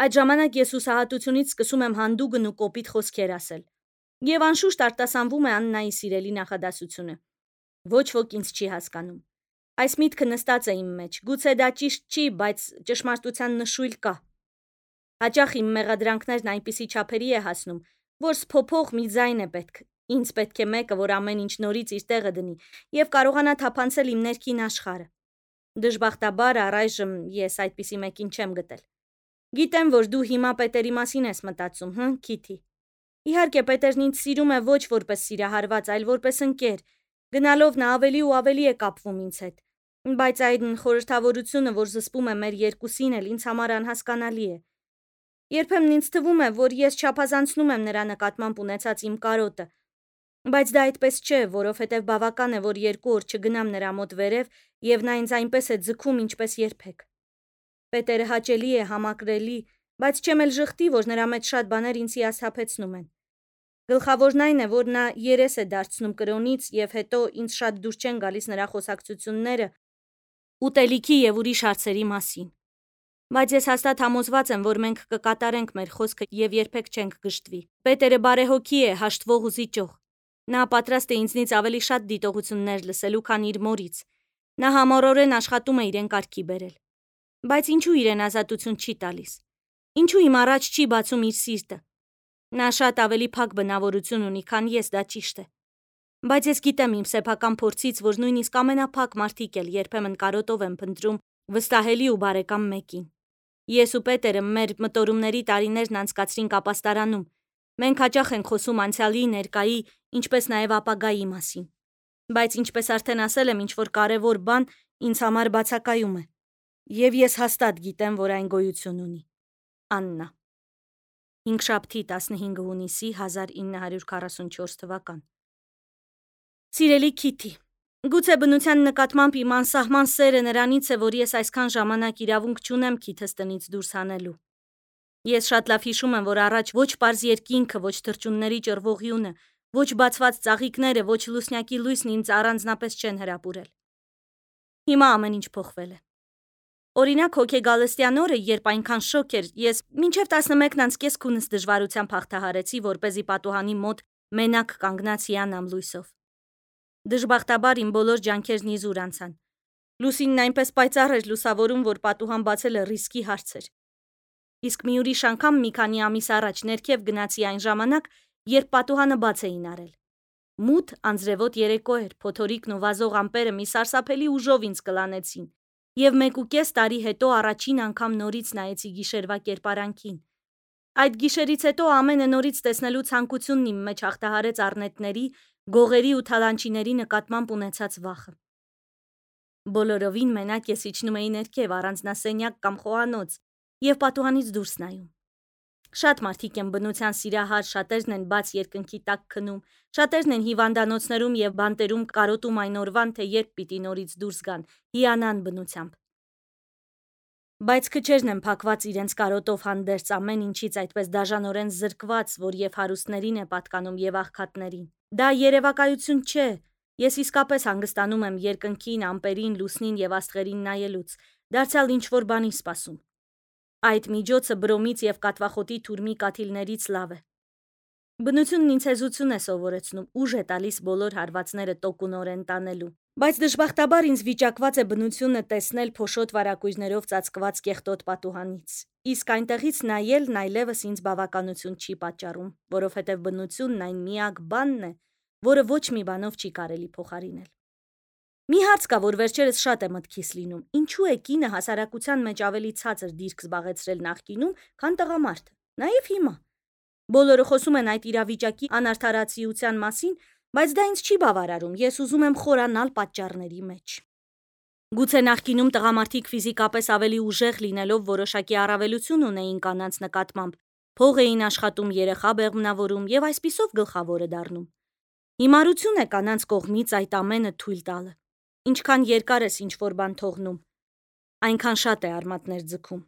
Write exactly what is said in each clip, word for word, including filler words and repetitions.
Այդ ժամանակ ես հուսահատությունից սկսում եմ հանդուգն ու կոպիտ խոսքեր ասել։ Եվ անշուշտ արտասանվում է Աննայի սիրելի նախադասությունը. ոչ ոք ինձ չի հասկանում։ Այս միտքը նստած է իմ մեջ, գուցե դա ճիշտ չի, բայց ճշմարտության նշույլ կա։ Հաճախ իմ մեղադրանքներն այնպիսի չափերի է հասնում, որ սփոփող մի ձայն է պետք, ինձ պետք է մեկը, որ ամեն ինչ նորից իր տեղը դնի եւ կարողանա թափանցել իմ ներքին աշխարհը։ Դժբախտաբար առայժմ ես այդպիսի մեկին չեմ գտել։ Գիտեմ, որ դու հիմա Պետերի մասին ես մտածում, հը, Քիթի։ Իհարկե, Պետերն ինձ սիրում է ոչ որպես սիրահարված, այլ որպես ընկեր։ Գնալով նա ավելի ու ավելի է կապվում ինձ հետ, բայց այն խորհրդավորությունը, որ զսպում է մեր երկուսին էլ, ինձ համար անհասկանալի է։ Երբեմն ինձ թվում է, որ ես չափազանցնում եմ նրա նկատմամբ ունեցած իմ կարոտը, բայց դա այդպես չէ, որովհետև բավական է, որ երկու օր չգնամ նրա մոտ վերև, եւ նա ինձ այնպես է ձգում, ինչպես երբեք։ Պետերը հաճելի է, համակրելի, բայց չեմ էլ ժխտի, որ նրա մեջ շատ բաներ ինձ հիասթափեցնում են։ Գլխավորն այն է, որ նա երես է դարձնում կրոնից եւ հետո ինձ շատ դուր չեն գալիս նրա խոսակցությունները ուտելիքի եւ ուրիշ հարցերի մասին։ Բայց ես հաստատ համոզված եմ, որ մենք կկատարենք մեր խոսքը եւ երբեք չենք գժտվի։ Պետերը բարեհոգի է, հաշտվող ու զիջող։ Նա պատրաստ է ինձնից ավելի շատ դիտողություններ լսելու, քան իր մորից։ Նա համառորեն աշխատում է իրեն կարգի բերել։ Բայց ինչու իրեն ազատություն չի տալիս։ Ինչու իմ առաջ չի բացում իր սիրտը։ Նա շատ ավելի փակ բնավորություն ունի, քան ես, դա ճիշտ է։ Բայց ես գիտեմ իմ սեփական փորձից, որ նույնիսկ ամենափակ մարդիկ էլ երբեմն կարոտով են փնտրում վստահելի ու բարեկամ մեկին։ Ես ու Պետերը մեր մտորումների տարիներն անցկացրինք ապաստարանում։ Մենք հաճախ ենք խոսում անցյալի, ներկայի, ինչպես նաև ապագայի մասին։ Բայց ինչպես արդեն ասել եմ, ինչ որ կարևոր բան ինձ համար բացակայում է։ Եվ ես հաստատ գիտեմ, որ այն գոյություն ունի։ Աննա։ Հինգշաբթի տասնհինգ հունիսի հազար ինը հարյուր քառասունչորս թվական։ Սիրելի Քիթի, գուցե բնության նկատմամբ իմ անսահման սերը նրանից է, որ ես այսքան ժամանակ իրավունք չունեմ քիթս տնից դուրս հանելու։ Ես շատ լավ հիշում եմ, որ առաջ ոչ պարզ երկինքը, ոչ թռչունների ճռվողյունը, ոչ բացված ծաղիկները, ոչ լուսնյակի լույսն ինձ առանձնապես չեն հրապուրել։ Հիմա ամեն ինչ փոխվել է։ Օրինակ հոգեգալստյան օրը, երբ այնքան շոկ էր, ես մինչև տասնմեկն անց կես քունս դժվարությամբ հաղթահարեցի, որպեսզի պատուհանի մոտ մենակ կանգնած հիանամ լույսով։ Դժբախտաբար իմ բոլոր ջանքերն իզուր անցան։ Լուսինն այնպես պայծառ էր լուսավորում, որ պատուհան բացելը ռիսկի հարց էր։ Իսկ մի ուրիշ անգամ մի քանի ամիս առաջ ներքև գնացի այն ժամանակ, երբ պատուհանը բաց էին արել։ Մութ անձրևոտ երեկո էր, փոթորիկն ու վազող ամպերը մի սարսափելի ուժով ինձ կլանեցին, եւ մեկ ու կես տարի հետո առաջին անգամ նորից նայեցի գիշերվա կերպարանքին։ Այդ գիշերից հետո ամենը նորից տեսնելու ցանկությունն իմ մեջ հաղթահարեց առնետների, գողերի ու թալանչիների նկատմամբ ունեցած վախը։ Բոլորովին մենակ ես իջնում էի ներքև առանձնասենյակ կամ խոհանոց եւ պատուհանից դուրս նայում։ Շատ մարդիկ են բնության սիրահար, շատերն են բաց երկնքի տակ քնում, շատերն են հիվանդանոցներում եւ բանտերում կարոտում այն օրվան, թե երբ պիտի նորից դուրս գան, հիանան բնությամբ։ Բայց քչերն են փակված իրենց կարոտով հանդերձ ամեն ինչից այդպես դաժանորեն զրկված, որ եւ հարուստներին է պատկանում եւ աղքատներին։ Դա երևակայություն չէ։ Ես իսկապես հանգստանում եմ երկնքին, ամպերին, լուսնին եւ աստղերին նայելուց, դարձյալ ինչ որ բանի սպասում։ Այդ միջոցը բրոմից եւ կատվախոտի թուրմի կաթիլներից լավ է։ Բնությունն ինձ հեզություն է սովորեցնում, ուժ է տալիս բոլոր հարվածները տոկունորեն տանելու։ Բայց դժբախտաբար ինձ վիճակված է բնությունը տեսնել փոշոտ վարակույրներով ծածկված կեղտոտ պատուհանից։ Իսկ այնտեղից նայելն այլևս ինձ բավականություն չի պատճառում, որովհետև բնությունն այն միակ բանն է, որը ոչ մի բանով չի կարելի փոխարինել։ Մի հարց կա, որ վերջերս շատ է մտքիս լինում. ինչու է կինը հասարակության մեջ ավելի ցածր դիրք զբաղեցրել նախկինում, քան տղամարդը, նաեւ հիմա։ Բոլորը խոսում են այդ իրավիճակի անարդարացիության մասին, բայց դա ինձ չի բավարարում, ես ուզում եմ խորանալ պատճառների մեջ։ Գուցե նախկինում տղամարդիկ ֆիզիկապես ավելի ուժեղ լինելով որոշակի առավելություն ունեին կանանց նկատմամբ, փող էին աշխատում, երեխա բեղմնավորում եւ այսպիսով գլխավորը դառնում։ Հիմարություն է կանանց կողմից այդ ամենը թույլ տալը։ Ինչքան երկար ես ինչ որ բան թողնում, այնքան շատ է արմատներ ձգում։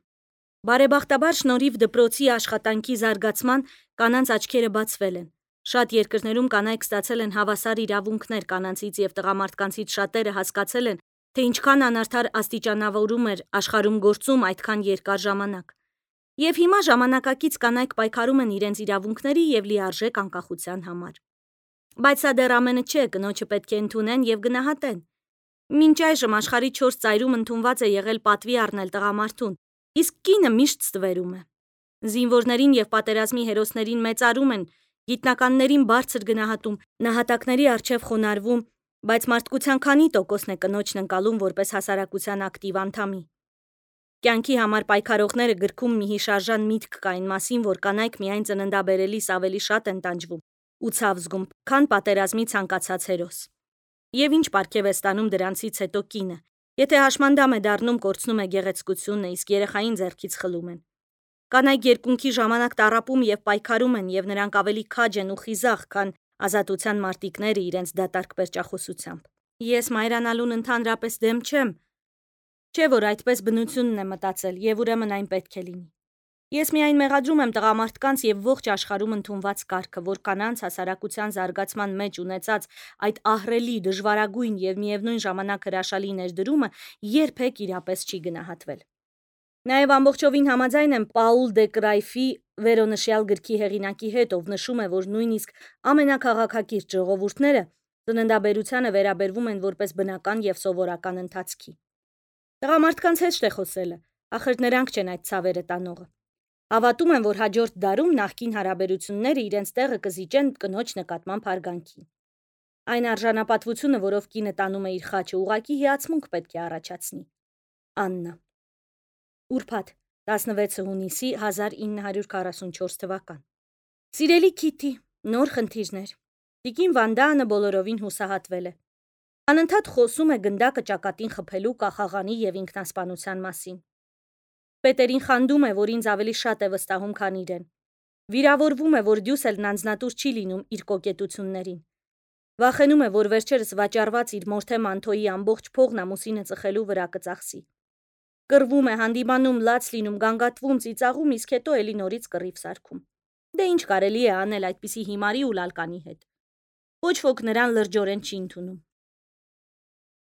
Բարեբախտաբար շնորհիվ դպրոցի աշխատանքի զարգացման կանանց աչքերը բացվել են։ Շատ երկրներում կանայք ստացել են հավասար իրավունքներ, կանանցից եւ տղամարդկանցից շատերը հասկացել են, թե ինչքան անարդար աստիճանավորում էր աշխարհում գործում այդքան երկար ժամանակ։ Եվ հիմա ժամանակակից կանայք պայքարում են իրենց իրավունքների եւ լիարժեք անկախության համար։ Բայց սա դեռ ամենը չէ, կնոջը պետք է ընդունեն եւ գնահատեն։ Մինչ այժմ աշխարհի չորս ծայրում ընդունված է եղել պատվի առնել տղամարդուն, իսկ կինը միշտ ստվերում է։ Զինվորներին եւ պատերազմի հերոսներին մեծարում են, գիտնականներին բարձր գնահատում, նահատակների առջև խոնարհվում, բայց մարդկության քանի տոկոսն է կնոջն ընկալում որպես հասարակության ակտիվ անդամի։ Կյանքի համար պայքարողները գրքում մի հիշարժան միտք կա այն մասին, որ կանայք միայն ծննդաբերելիս ավելի շատ են տանջվում ու ցավ զգում, քան պատերազմի ցանկացած հերոս։ Եվ ինչ պարգև է ստանում դրանցից հետո կինը, եթե հաշմանդամ է դառնում, կորցնում է գեղեցկությունը, իսկ երեխային ձեռքից խլում են։ Կանայք երկունքի ժամանակ տառապում եւ պայքարում են, եւ նրանք ավելի քաջ են ու խիզախ, քան ազատության մարտիկները իրենց դատարկ պերճախոսությամբ։ Ես մայրանալուն ընդհանրապես դեմ չեմ, չէ՞ որ այդպես բնությունն է մտածել, եւ ուրեմն այն պետք է լինի։ Ես միայն մեղադրում եմ տղամարդկանց եւ ողջ աշխարհում ընդունված կարգը, որ կանանց հասարակության զարգացման մեջ ունեցած այդ ահռելի, դժվարագույն եւ միևնույն ժամանակ հրաշալի ներդրումը երբեք իրապես չի գնահատվել։ Նաեւ ամբողջովին համաձայն եմ Պաուլ դե Կրայֆի վերոնշյալ գրքի հեղինակի հետ, ով նշում է, որ նույնիսկ ամենաքաղաքակիրթ ժողովուրդները ծննդաբերությանը վերաբերվում են որպես բնական եւ սովորական ընթացքի։ Տղամարդկանց հետ է խոսելը, ախր նրանք չեն այդ ցավերը տանողը։ Հավատում են, որ հաջորդ դարում նախկին հարաբերությունները իրենց տեղը կզիջեն կնոջ նկատմամբ հարգանքի։ Այն արժանապատվությունը, որով կինը տանում է իր խաչը, ուղղակի հիացմունք պետք է առաջացնի։ Աննա։ Ուրբաթ, տասնվեցը հունիսի հազար ինը հարյուր քառասունչորս թվական։ Սիրելի Քիթի, նոր խնդիրներ։ Տիկին Վանդանը բոլորովին հուսահատվել է։ Անընդհատ խոսում է գնդակը ճակատին խփելու, կախաղանի եւ ինքնասպանության մասին։ Պետերին խանդում է, որ ինձ ավելի շատ է վստահում, քան իրեն։ Վիրավորվում է, որ Դյուսելն անձնատուր չի լինում իր կոկետություններին։ Վախենում է, որ վերջերս վաճառված իր մորթե մանթոյի ամբողջ փողն ամուսինը ծխելու վրա կծախսի։ Կռվում է, հանդիմանում, լաց լինում, գանգատվում, ծիծաղում, իսկ հետո էլի նորից կռիվ սարքում։ Դե ինչ կարելի է անել այդպիսի հիմարի ու լալկանի հետ։ Ոչ ոք նրան լրջորեն չի ընդունում։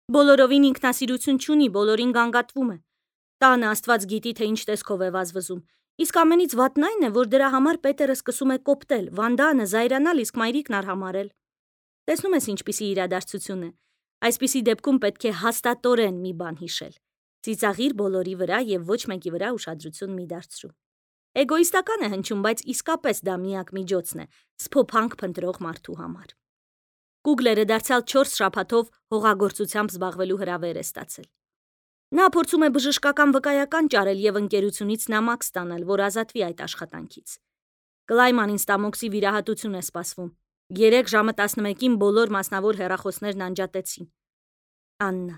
Բոլորովին ինքնասիրություն չունի, բոլորին գանգատվում է։ Տանը Աստված գիտի, թե ինչ տեսքով է վազվզում։ Իսկ ամենից վատն այն է, որ դրա համար Պետերը սկսում է կոպտել, Վանդանը զայրանալ, իսկ մայրիկն արհամարել։ Տեսնում ես ինչպիսի իրադարձություն է։ Այսպիսի դեպքում պետք է հաստատորեն մի բան հիշել։ Ծիծաղիր բոլորի վրա եւ ոչ մեկի վրա ուշադրություն մի դարձրու։ Էգոիստական է հնչում, բայց իսկապես դա միակ միջոցն է սփոփանք փնտրող մարդու համար։ Գուգլերը դարձյալ չորս շաբաթով հողագործությամբ զբաղվելու հրավեր է ստացել։ Նա փորձում է բժշկական վկայական ճարել եւ ընկերությունից նամակ ստանալ, որ ազատվի այդ աշխատանքից։ Կլայմանին ստամոքսի վիրահատություն է սպասվում։ Երեք ժամը տասնմեկին բոլոր մասնավոր հեռախոսներն անջատեցին։ Աննա։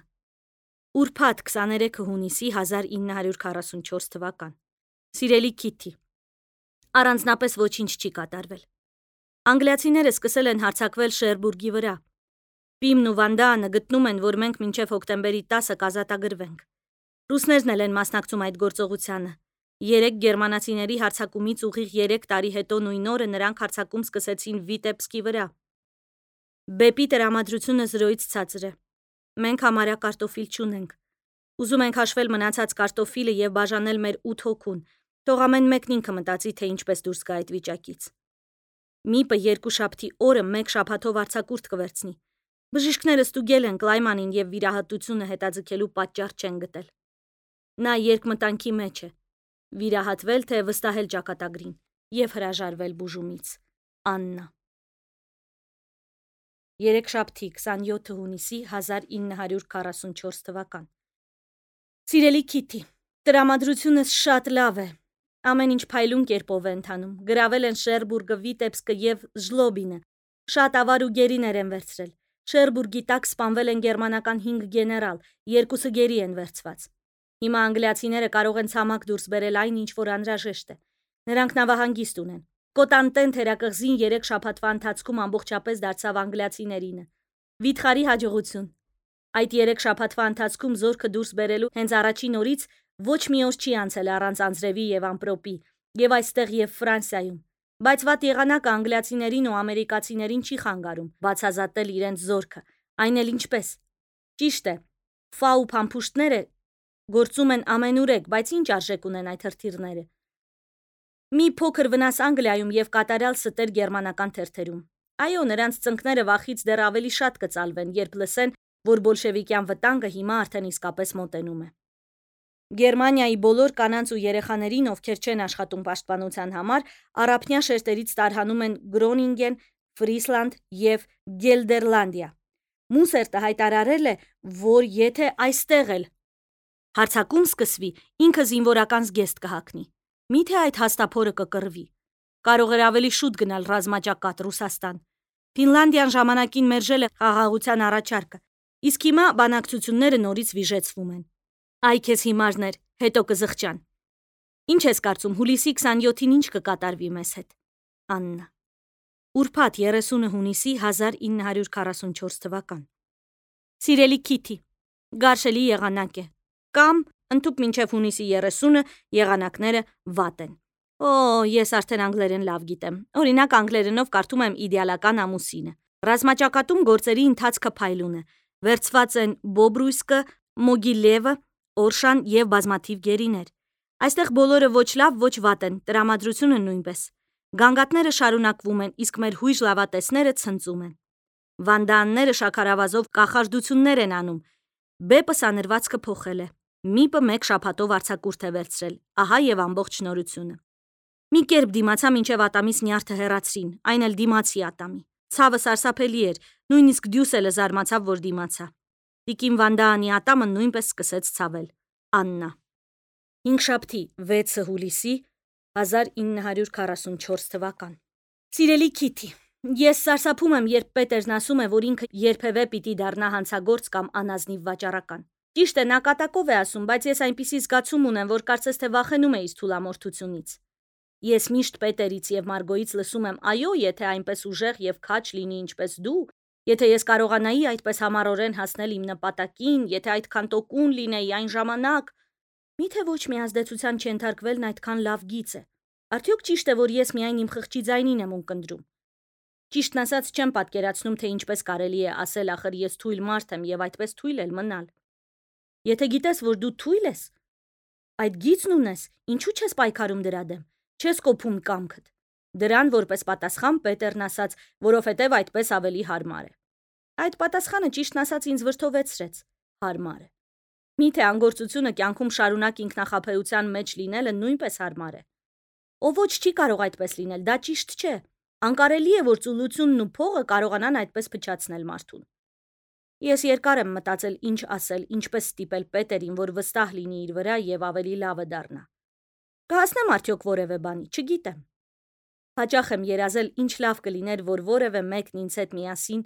Ուրբաթ քսաներեքը հունիսի հազար ինը հարյուր քառասունչորս թվական։ Սիրելի Քիթի, առանձնապես ոչինչ չի կատարվել։ Անգլիացիները սկսել են հարձակվել Շերբուրգի վրա։ Պիմն ու Վանդանը գտնում են, որ մենք մինչև հոկտեմբերի տասը կազատագրվենք։ Ռուսներն էլ են մասնակցում այդ գործողությանը։ Երեք գերմանացիների հարձակումից ուղիղ երեք տարի հետո նույն օրը նրանք հարձակում սկսեցին Վիտեբսկի վրա։ Բեպի տրամադրությունը զրոյից ցածր է։ Մենք համարյա կարտոֆիլ չունենք։ Ուզում ենք հաշվել մնացած կարտոֆիլը եւ բաժանել մեր ութ հոգուն։ Թող ամեն մեկն ինքը մտածի, թե ինչպես դուրս գա այդ վիճակից։ Միպը երկու շաբթի օրը մեկ շաբաթով արձակուրդ կվերցնի։ Բժիշկները ստուգել են Կլայմանին եւ վիրահատությունը հետաձգելու պատճառ չեն գտել։ Նա երկմտանքի մեջ է։ Վիրահատվել, թե վստահել ճակատագրին եւ հրաժարվել բուժումից։ Աննա։ Երեքշաբթի քսանյոթը հունիսի հազար ինը հարյուր քառասունչորս թվական։ Սիրելի Քիթի, տրամադրությունս շատ լավ է։ Ամեն ինչ փայլուն կերպով է ընթանում։ Գրավել են Շերբուրգը, Վիտեբսկը եւ Ժլոբինը։ Շատ ավար ու գերիներ են վերցրել։ Շերբուրգի տակ սպանվել են գերմանական հինգ գեներալ, երկուսը գերի են վերցված։ Հիմա անգլիացիները կարող են ցամաք դուրս բերել այն, ինչ որ անհրաժեշտ է։ Նրանք նավահանգիստ ունեն։ Կոտանտեն թերակղզին երեք շաբաթվա ընթացքում ամբողջապես դարձավ անգլիացիներինը։ Վիթխարի հաջողություն։ Այդ երեք շաբաթվա ընթացքում զորքը դուրս բերելու հենց առաջին օրից ոչ մի օր չի անցել առանց անձրևի եւ ամպրոպի, եւ այստեղ եւ Ֆրանսիայում։ Բայց վատ եղանակը անգլիացիներին ու ամերիկացիներին չի խանգարում բացազատել իրենց զորքը, այն էլ ինչպես։ Ճիշտ է, ֆա ու փամփուշտները գործում են ամենուրեք, բայց ինչ արժեք ունեն այդ հրթիռները։ Մի փոքր վնաս Անգլիայում եւ կատարյալ ստեր գերմանական թերթերում։ Այո, նրանց ծնկները վախից դեռ ավելի շատ կծալվեն, երբ լսեն, որ բոլշևիկյան վտանգը հիմա արդեն իսկապես մոտենում է։ Գերմանիայի բոլոր կանանց ու երեխաներին, ովքեր չեն աշխատում պաշտպանության համար, առափնյա շերտերից տարհանում են Գրոնինգեն, Ֆրիսլանդ եւ Գելդերլանդիա։ Մուսերտը հայտարարել է, որ եթե այստեղ էլ հարձակում սկսվի, ինքը զինվորական զգեստ կհագնի։ Միթե այդ հաստափորը կկռվի։ Կարող էր ավելի շուտ գնալ ռազմաճակատ Ռուսաստան։ Ֆինլանդիան ժամանակին մերժել է խաղաղության առաջարկը, իսկ հիմա բանակցությունները նորից վիժեցվում են։ Այ քեզ հիմարներ, հետո կզղջան։ Ինչ ես կարծում, հուլիսի քսանյոթին ինչ կկատարվի մեզ հետ։ Աննա։ Ուրբաթ երեսունը հունիսի հազար ինը հարյուր քառասունչորս թվական։ Սիրելի Քիթի, գարշելի եղանակ է։ Կամ ընդհուպ մինչև հունիսի երեսունը եղանակները վատ են։ Օ, ես արդեն անգլերեն լավ գիտեմ։ Օրինակ անգլերենով կարդում եմ իդեալական ամուսինը։ Ռազմաճակատում գործերի ընթացքը փայլուն է։ Վերցված են Բոբրույսկը, Մոգիլևը, Օրշան եւ բազմաթիվ գերիներ։ Այստեղ բոլորը ոչ լավ, ոչ վատ են, տրամադրությունը նույնպես։ Գանգատները շարունակվում են, իսկ մեր հույժ լավատեսները ցնծում են։ Վանդաանները շաքարավազով կախարդություններ են անում։ Բեպը սանրվածքը փոխել է։ Միպը մեկ շաբաթով արձակուրդ է վերցրել։ Ահա եւ ամբողջ նորությունը։ Մի կերպ դիմացա մինչև ատամիս նյարդը հեռացրին, այն էլ դիմացի ատամի։ Ցավը սարսափելի էր, նույնիսկ Դյուսելը զարմացավ, որ դիմացա։ Տիկին Վանդաանի ատամը նույնպես սկսեց ցավել։ Աննա։ Հինգշաբթի վեցը հուլիսի հազար ինը հարյուր քառասունչորս թվական։ Սիրելի Քիթի, ես սարսափում եմ, երբ Պետերն ասում է, որ ինքը երբևէ պիտի դառնա հանցագործ կամ անազնիվ վաճառական։ Ճիշտ է, նա կատակով է ասում, բայց ես այնպիսի զգացում ունեմ, որ կարծես թե վախենում է իս թուլամորթությունից։ Ես միշտ Պետերից եւ Մարգոից լսում եմ, այո, եթե այնպես ուժեղ եւ քաջ լինի ինչպես դու, եթե ես կարողանայի այդպես համառորեն հասնել իմ նպատակին, եթե այդքան տոկուն լինեի այն ժամանակ, միթե ոչ մի ազդեցության չենթարկվելն այդքան լավ գիծ է։ Արդյոք ճիշտ է, որ ես միայն իմ խղճի ձայնին եմ ունկնդրում։ Ճիշտն ասած չեմ պատկերացնում, թե ինչպես կարելի է ասել, ախր ես թույլ մարդ եմ եւ այդպես թույլ էլ մնալ։ Եթե գիտես, որ դու թույլ ես, այդ գիծն ունես, ինչու չես պայքարում դրա դեմ։ Չես կոփում կամքդ։ Դրան որպես պատասխան Պետերն ասաց, որովհետև այդպես ավելի հարմար է։ Այդ պատասխանը ճիշտն ասած ինձ վրդովեցրեց։ Հարմար է։ Միթե անգործությունը կյանքում շարունակ ինքնախաբեության մեջ լինելը նույնպես հարմար է։ Ով ոչ չի կարող այդպես լինել, դա ճիշտ չէ։ Անկարելի է, որ ծուլությունն ու փողը կարողանան այդպես փչացնել մարդուն։ Ես երկար եմ մտածել ինչ ասել, ինչպես ստիպել Պետերին, որ վստահ լինի իր վրա եւ ավելի լավը դառնա։ Կհասնեմ արդյոք որևէ բանի, չգիտեմ։ Հաճախ եմ երազել, ինչ լավ կլիներ, որ որևէ մեկն ինձ հետ միասին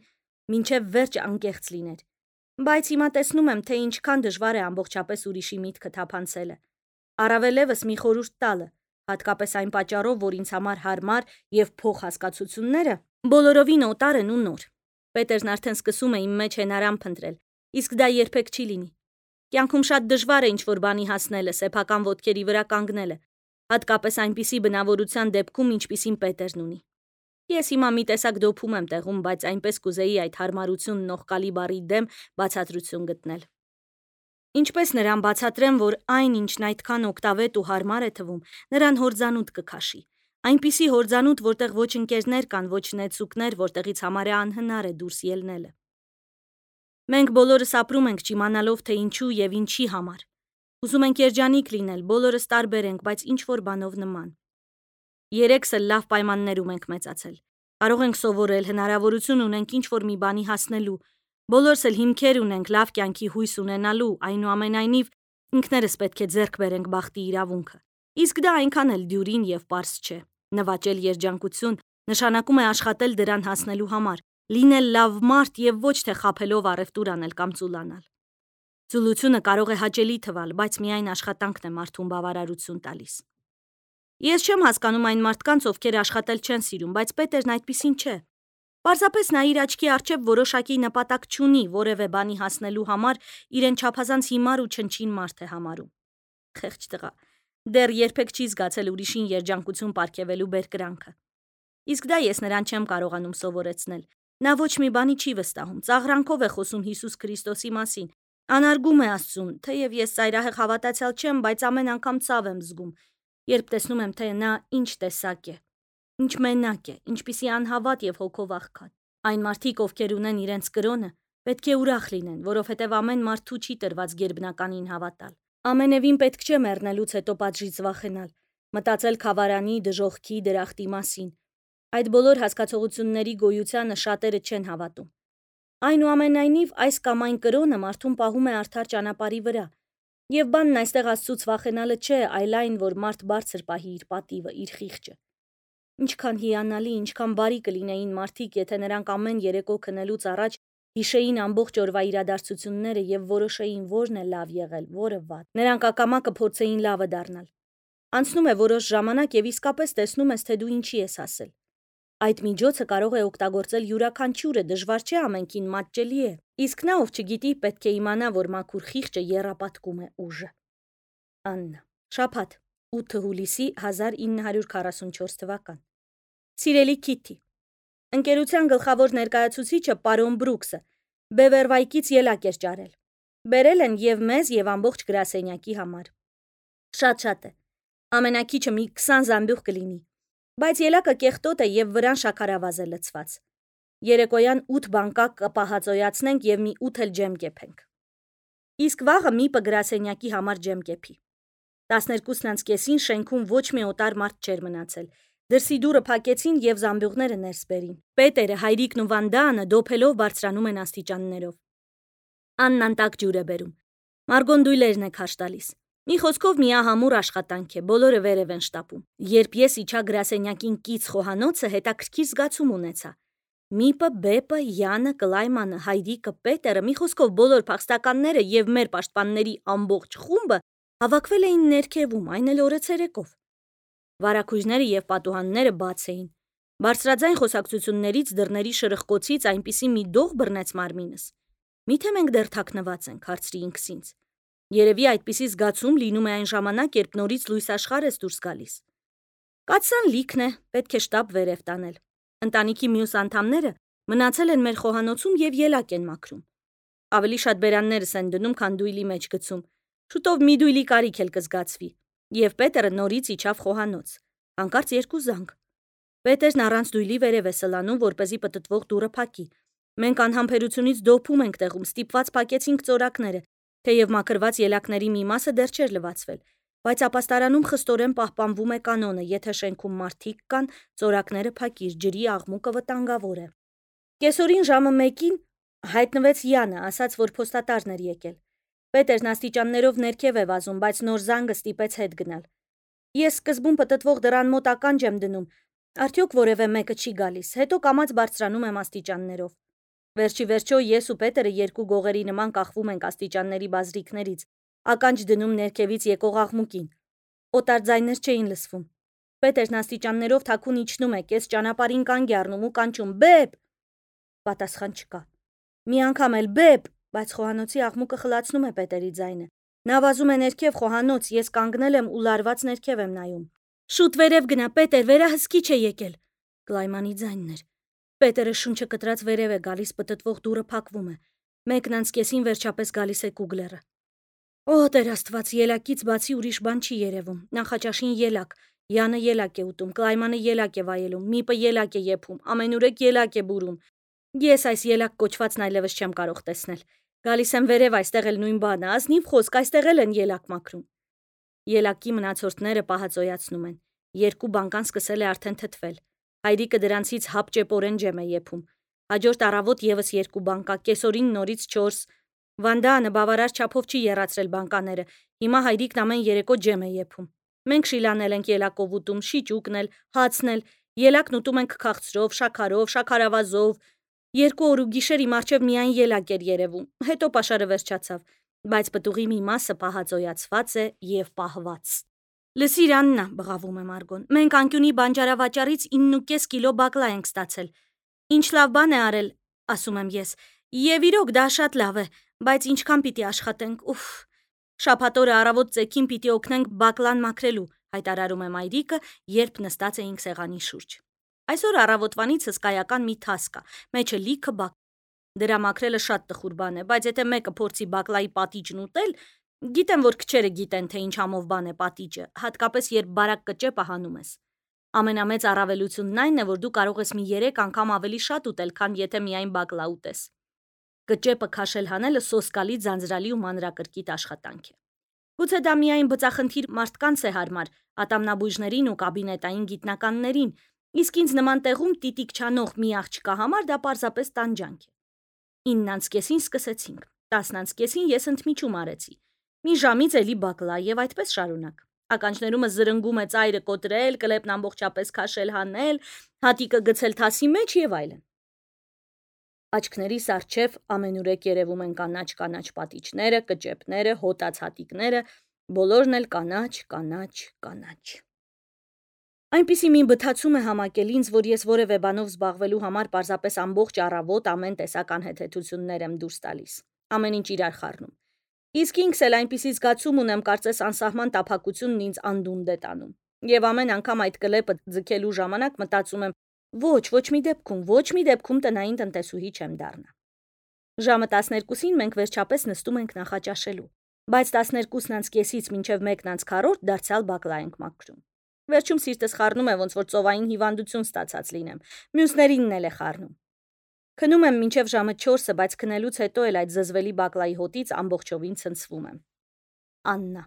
մինչև վերջ անկեղծ լիներ։ Բայց հիմա տեսնում եմ, թե ինչքան դժվար է ամբողջապես ուրիշի միտքը թափանցելը։ Առավելևս մի խորհուրդ տալը, հատկապես այն պատճառով, որ ինձ համար հարմար եւ փող հասկացությունները բոլորովին օտար են ու նոր։ Պետերն արդեն սկսում է իմ մեջ հենարան փնտրել, իսկ դա երբեք չի լինի։ Կյանքում շատ դժվար է ինչ-որ բանի հասնելը, սեփական ոտքերի վրա կանգնելը, հատկապես այնպիսի բնավորության դեպքում, ինչպիսին Պետերն ունի։ Ես հիմա մի տեսակ դոփում եմ տեղում, բայց այնպես կուզեի այդ հարմարությունն ողկալի բառի դեմ բացատրություն գտնել։ Ինչպես նրան բացատրեմ, որ այն, ինչն այդքան օգտավետ ու հարմար է թվում, նրան հորձանուտ կքաշի։ Այնպիսի հորձանուտ, որտեղ ոչ ընկերներ կան, ոչ նեցուկներ, որտեղից համարյա անհնար է դուրս ելնելը։ Մենք բոլորս ապրում ենք չիմանալով, թե ինչու եւ ինչի համար։ Ուզում ենք երջանիկ լինել, բոլորս տարբեր ենք, բայց ինչ որ բանով նման։ Երեքս էլ լավ պայմաններում ենք մեծացել։ Կարող ենք սովորել, հնարավորություն ունենք ինչ որ մի բանի հասնելու։ Բոլորս էլ հիմքեր ունենք լավ կյանքի հույս ունենալու, այնուամենայնիվ ինքներս պետք է ձեռք բերենք բախտի իրավունքը։ Իսկ դա այնքան էլ դյուրին եւ պարզ չէ։ Նվաճել երջանկություն նշանակում է աշխատել դրան հասնելու համար, լինել լավ մարդ եւ ոչ թե խաբելով առևտուր անել կամ ծուլանալ։ Ծուլությունը կարող է հաճելի թվալ, բայց միայն աշխատանքն է մարդուն բավարարություն տալիս։ Ես չեմ հասկանում այն մարդկանց, ովքեր աշխատել չեն սիրում, բայց Պետերն այդպիսին չէ։ Պարզապես նա իր աչքի առջև որոշակի նպատակ չունի, որևէ բանի հասնելու համար իրեն չափազանց հիմար ու չնչին մարդ է համարում։ Խեղճ տղա, դեռ երբեք չի զգացել ուրիշին երջանկություն պարգևելու բերկրանքը։ Իսկ դա ես նրան չեմ կարողանում սովորեցնել։ Նա ոչ մի բանի չի վստահում, ծաղրանքով է խոսում Հիսուս Քրիստոսի մասին, անարգում է Աստծուն, թեև ես ծայրահեղ հավատացյալ չեմ, բայց ամեն անգամ ցավ եմ զգում։ երբ տեսնում եմ, թե նա ինչ տեսակ է, ինչ մենակ է, ինչպիսի անհավատ եւ հոգով աղքատ։ Այն մարդիկ, ովքեր ունեն իրենց կրոնը, պետք է ուրախ լինեն, որովհետև ամեն մարդու չի տրված գերբնականին հավատալ։ Ամենևին պետք չէ մեռնելուց հետո պատժից վախենալ, մտածել խավարանի, դժոխքի, դրախտի մասին։ Այդ բոլոր հասկացողությունների գոյությանը շատերը չեն հավատում։ Այնուամենայնիվ, այս կամ այն կրոնը մարդուն պահում է արդար ճանապարհի վրա, եւ բանն այստեղ Աստծուց վախենալը չէ, այլ այն, որ մարդ բարձր պահի իր պատիվը, իր խիղճը։ Ինչքան հիանալի, ինչքան բարի կլինեին մարդիկ, եթե նրանք ամեն երեկո քնելուց առաջ հիշեին ամբողջ օրվա իրադարձությունները եւ որոշեին որն է լավ եղել, որը վատ։ Նրանք ակամա կփորձեին լավը դառնալ։ Անցնում է որոշ ժամանակ եւ իսկապես տեսնում ես, թե դու ինչի ես հասել։ Այդ միջոցը կարող է օգտագործել յուրաքանչյուրը, դժվար չէ ամենքին մատչելի է։ Իսկ նա, ով չգիտի, պետք է իմանա, որ մաքուր խիղճը եռապատկում է ուժը։ Աննա, շաբաթ, ութ հուլիսի հազար ինը հարյուր քառասունչորս թվական։ Սիրելի Քիթի, ընկերության գլխավոր ներկայացուցիչը պարոն Բրուքսը Բևերվայքից ելակ էր ճարել։ Բերել են եւ մեզ եւ ամբողջ գրասենյակի համար։ Շատ-շատ է։ Ամենակիչը մի քսան զամբյուղ կլինի, բայց ելակը կեղտոտ է եւ վրան շաքարավազ է լցված։ Երեկոյան ութ բանկակ կպահածոյացնենք եւ մի ութ էլ ջեմ կեփենք։ Իսկ վաղը միպը գրասենյակի համար ջեմ կեփի։ տասներկուսն անց կեսին շենքում ոչ մի օտար մարդ չէր մնացել։ Դրսի դուռը փակեցին եւ զամբյուղները ներս բերին։ Պետերը, Հայրիկն ու Վանդանը դոփելով բարձրանում են աստիճաններով։ Աննան տաք ջուր է բերում։ Մարգոն դույլերն է քաշ տալիս։ Մի խոսքով միահամուռ աշխատանք է, բոլորը վերև են շտապում։ Երբ ես իջա գրասենյակին կից խոհանոցը, հետաքրքիր զգացում ունեցա։ Միպը, Բեպը, Յանը, Կլայմանը, Հայրիկը, Պետերը, մի խոսքով բոլոր փախստականները եւ մեր պաշտպանների ամբողջ խումբը հավաքվել էին ներքևում, այն էլ օրը ցերեկով։ Վարակույրները եւ պատուհանները բաց էին։ Բարձրաձայն խոսակցություններից, դռների շրխկոցից այնպիսի մի դող բռնեց մարմինս։ Միթե մենք դեռ թաքնված ենք, հարցրի ինքս ինձ։ Երևի այդպիսի զգացում լինում է այն ժամանակ, երբ նորից լույս աշխարհ ես դուրս գալիս։ Կացան լիքն է, պետք է շտապ վերև տանել։ Ընտանիքի մյուս անդամները մնացել են մեր խոհանոցում եւ ելակ են մաքրում։ Ավելի շատ բերաններս են դնում, քան դույլի մեջ գցում։ Շուտով մի դույլի կարիք էլ կզգացվի։ Եվ Պետերը նորից իջավ խոհանոց։ Հանկարծ երկու զանգ։ Պետերն առանց դույլի վերև է սլանում, որպեսզի պտտվող դուռը փակի։ Մենք անհամբերությունից դոփում ենք տեղում, ստիպված փակեցինք ծորակները, թեև մաքրված ելակների մի մասը դեռ չէր լվացվել, բայց ապաստարանում խստորեն պահպանվում է կանոնը, եթե շենքում մարդիկ կան, ծորակները փակիր, ջրի աղմուկը վտանգավոր է։ Կեսօրին ժամը մեկին հայտնվեց Յանը, ասաց, որ փոստատարն էր եկել։ Պետերն աստիճաններով ներքև է վազում, բայց նոր զանգը ստիպեց հետ գնալ։ Ես սկզբում պտտվող դռան մոտ ականջ եմ դնում, արդյոք որևէ մեկը չի գալիս, հետո կամաց բարձրանում եմ աստիճաններով։ Վերջի վերջո ես ու Պետերը երկու գողերի նման կախվում ենք աստիճանների բազրիքներից, ականջ դնում ներքևից եկող աղմուկին։ Օտար ձայներ չէին լսվում։ Պետերն աստիճաններով թաքուն իջնում է, կես ճանապարհին կանգ է առնում ու կանչում. «Բեբ»։ Պատասխան չկա։ Մի անգամ էլ «Բեբ», բայց խոհանոցի աղմուկը խլացնում է Պետերի ձայնը։ Նա վազում է ներքև խոհանոց, ես կանգնել եմ ու լարված ներքև եմ նայում։ Շուտ վերև գնա, Պետեր, վերահսկիչ է եկել։ Կլայմանի ձայնն էր։ Պետերը շունչը կտրած վերև է գալիս, պտտվող դուռը փակվում է։ Մեկն անց կեսին վերջապես գալիս է Կուգլերը։ Օ, Տեր Աստված, ելակից բացի ուրիշ բան չի երևում։ Նախաճաշին ելակ, Յանը ելակ է ուտում, Կլայմանը ելակ է վայելում, Միպը ելակ է եփում, ամենուրեք ելակ է բուրում։ Ես այս ելակ կոչվածն այլևս չեմ կարող տեսնել։ Գալիս եմ վերև, այստեղ էլ նույն բանը, ազնիվ խոսք, այստեղ էլ են ելակ մաքրում։ Ելակի մնացորդները պահածոյացնում են։ Երկու բանկան սկսել է արդեն թթվել։ Հայրիկը դրանցից հապճեպորեն ջեմ է եփում։ Հաջորդ առավոտ եւս երկու բանկա, կեսօրին նորից չորս։ Վանդանը բավարար չափով չի եռացրել բանկաները։ Հիմա Հայրիկն ամեն երեկո ջեմ է եփում։ Մենք շիլանել ենք ելակով ուտում, շիճուկն էլ, հացն էլ, ելակն ուտում ենք քաղցրով, շաքարով, շաքարավազով։ Երկու օր ու գիշեր իմ առջև միայն ելակ էր երևում, հետո պաշարը վերջացավ, բայց պտուղի մի մասը պահածոյացված է եւ պահված։ Լսիր Աննա, բղավում է Մարգոն, մենք անկյունի բանջարավաճառից ինը կես կիլո բակլա ենք ստացել։ Ինչ լավ բան է արել, ասում եմ ես, եւ իրոք դա շատ լավ է, բայց ինչքան պիտի աշխատենք, ուֆ։ Շաբաթ օրը առավոտ ծեքին պիտի օգնենք բակլան մաքրելու, հայտարարում է Մայրիկը, երբ նստած էինք սեղանի շուրջ։ Այսօր առավոտվանից հսկայական մի թաս կա, մեջը լիքը բակ։ Դրա մաքրելը շատ տխուր բան է, բայց եթե մեկը փորձի բակլայի պատիճն ուտել, Գիտեմ, որ քչերը գիտեն, թե ինչ համով բան է պատիճը, հատկապես երբ բարակ կճեպը հանում ես։ Ամենամեծ առավելությունն այն է, որ դու կարող ես մի երեք անգամ ավելի շատ ուտել, քան եթե միայն բակլա ուտես։ Կճեպը քաշել հանելը սոսկալի, ձանձրալի ու մանրակրկիտ աշխատանք է։ Գուցե դա միայն բծախնդիր մարդկանց է հարմար, ատամնաբույժներին ու կաբինետային գիտնականներին, իսկ ինձ նման տեղում տիտիկ չանող մի աղջկա համար դա պարզապես տանջանք է։ ինն անց կեսին սկսեցինք, տասն անց կեսին ես ընդմիջում արեցի։ Մի ժամից էլի բակլա եւ այդպես շարունակ։ Ականջներումս զրնգում է ծայրը կոտրել, կլեպն ամբողջապես քաշել հանել, հատիկը գցել թասի մեջ եւ այլն։ Աչքներիս առջև ամենուրեք երևում են կանաչ-կանաչ պատիճները, կճեպները, հոտած հատիկները, բոլորն էլ կանաչ, կանաչ, կանաչ։ Այնպիսի մի բթացում է համակել ինձ, որ ես որևէ բանով զբաղվելու համար պարզապես ամբողջ առավոտ ամեն տեսակ անհեթեթություններ եմ դուրս տալիս։ Ամեն ինչ իրար խառնում։ Իսկ ինքս էլ այնպիսի զգացում ունեմ, կարծես անսահման տափակությունն ինձ անդունդ է տանում։ Եվ ամեն անգամ այդ կլեպը ձգելու ժամանակ մտածում եմ. ոչ, ոչ մի դեպքում, ոչ մի դեպքում տնային տնտեսուհի չեմ դառնա։ Ժամը տասներկուսին մենք վերջապես նստում ենք նախաճաշելու, բայց տասներկուսն անց կեսից մինչև մեկն անց քառորդ դարձյալ բակլա ենք մաքրում։ Վերջում սիրտս խառնում է, ոնց որ ծովային հիվանդություն ստացած լինեմ, մյուսներինն էլ է խառնում։ Քնում եմ մինչև ժամը չորսը, բայց քնելուց հետո էլ այդ զզվելի բակլայի հոտից ամբողջովին ցնցվում եմ։ Աննա։